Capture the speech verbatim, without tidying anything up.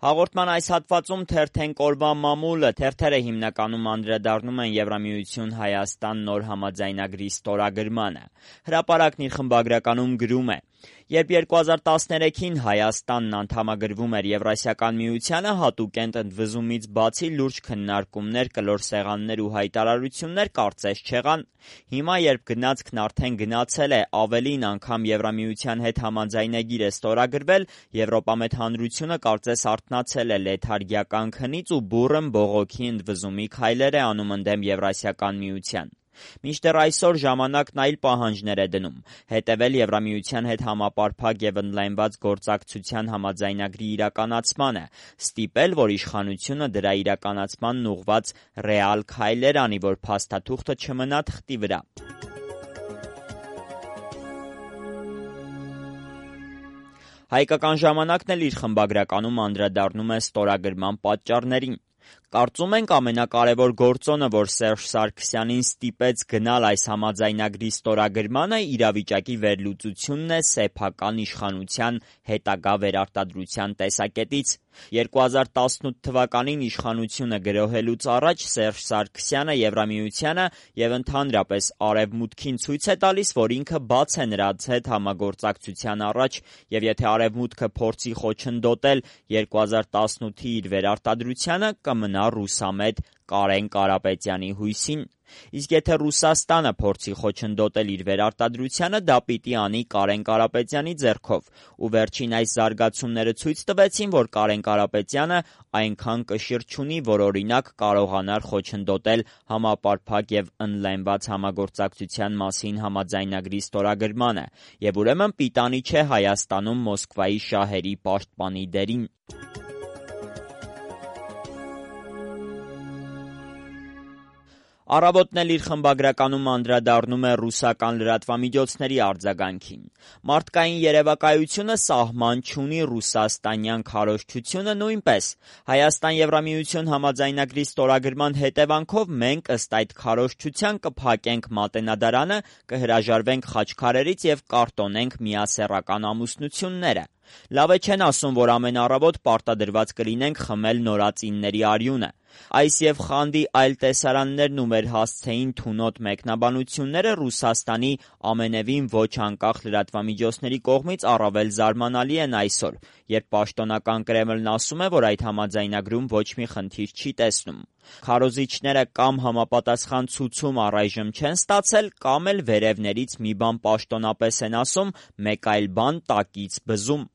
Հաղորդման այս հատվածում թերթենք օրվա մամուլը, թերթերը հիմնականում անդրադառնում են Եվրամիություն-Հայաստան նոր համաձայնագրի ստորագրմանը։ Հրապարակն իր խմբագրականում գրում է. Երբ երկու հազար տասներեքին Հայաստանն անդամագրվում էր Եվրասիական միությանը, հատուկ ընդվզումից բացի լուրջ քննարկումներ, կլոր սեղաններ ու հայտարարություններ կարծես չեղան։ Հիմա, երբ գնացքն արդեն գնացել է, ավելին, անգամ Եվրամիության հետ համաձայնագիր է ստորագրվել, Եվրոպամետ հանրությունը կարծես արթնացել է լեթարգիական քնից ու բուռն բողոքի ընդվզումի քայլեր է անում ընդդեմ Եվրասիական միության։ Մինչդեռ այսօր ժամանակն այլ պահանջներ է դնում՝ հետևել Եվրամիության հետ համապարփակ և ընդլայնված գործակցության համաձայնագրի իրականացմանը, ստիպել, որ իշխանությունը դրա իրականացմանն ուղղված ռեալ քայլեր անի, որ փաստաթուղթը չմնա թղթի վրա։ Հայկական ժամանակն էլ իր խմբագրականում անդրադառնում է ստորագրման պատճառներին։ Կարծում ենք ամենակարևոր գործոնը, որ Սերժ Սարգսյանին ստիպեց գնալ այս համաձայնագրի ստորագրմանը, իրավիճակի վերլուծությունն է սեփական իշխանության հետագա վերարտադրության տեսակետից։ երկու հազար տասնութ թվականին իշխանությունը գրոհելուց առաջ Սերժ Սարգսյանը Եվրամիությանը և ընդհանրապես Արևմուտքին ցույց է տալիս, որ ինքը բաց է նրանց հետ համագործակցության առաջ, և եթե Արևմուտքը փորձի խոչընդոտել երկու հազար տասնութի իր վերարտադրությանը, կմնա ռուսամետ Կարեն Կարապետյանի հույսին։ Իսկ եթե Ռուսաստանը փորձի խոչընդոտել իր վերարտադրությանը, դա պիտի անի Կարեն Կարապետյանի ձեռքով։ Ու վերջին այս զարգացումները ցույց տվեցին, որ Կարեն Կարապետյանը այնքան կշիռ չունի, որ օրինակ կարողանար խոչընդոտել համապարփակ և ընդլայնված համագործակցության մասին համաձայնագրի ստորագրմանը, և ուրեմն պիտանի չէ Հայաստանում Մոսկվայի շահերի պաշտպանի դերին։ Առավոտն էլ իր խմբագրականում անդրադառնում է ռուսական լրատվամիջոցների արձագանքին։ Մարդկային երևակայությունը սահման չունի, ռուսաստանյան քարոզչությունը նույնպես։ Հայաստան-Եվրամիություն համաձայնագրի ստորագրման հետևանքով մենք ըստ այդ քարոզչության կփակենք Մատենադարանը, կհրաժարվենք խաչքարերից և կարտոնենք միասեռական ամուսնությունները։ Լավ է չեն ասում, որ ամեն առավոտ պարտադրված կլինենք խմել նորածինների արյունը։ Այս և խանդի այլ տեսարաններն ու մեր հասցեին թունոտ մեկնաբանությունները Ռուսաստանի ամենևին ոչ անկախ լրատվամիջոցների կողմից առավել զարմանալի են այսօր, երբ պաշտոնական Կրեմլն ասում է, որ այդ համաձայնագրում ոչ մի խնդիր չի տեսնում։ Քարոզիչները կամ համապատասխան ցուցում առայժմ չեն ստացել, կամ էլ վերևներից մի բան պաշտոնապես են ասում, մեկ այլ բան տակից բզում։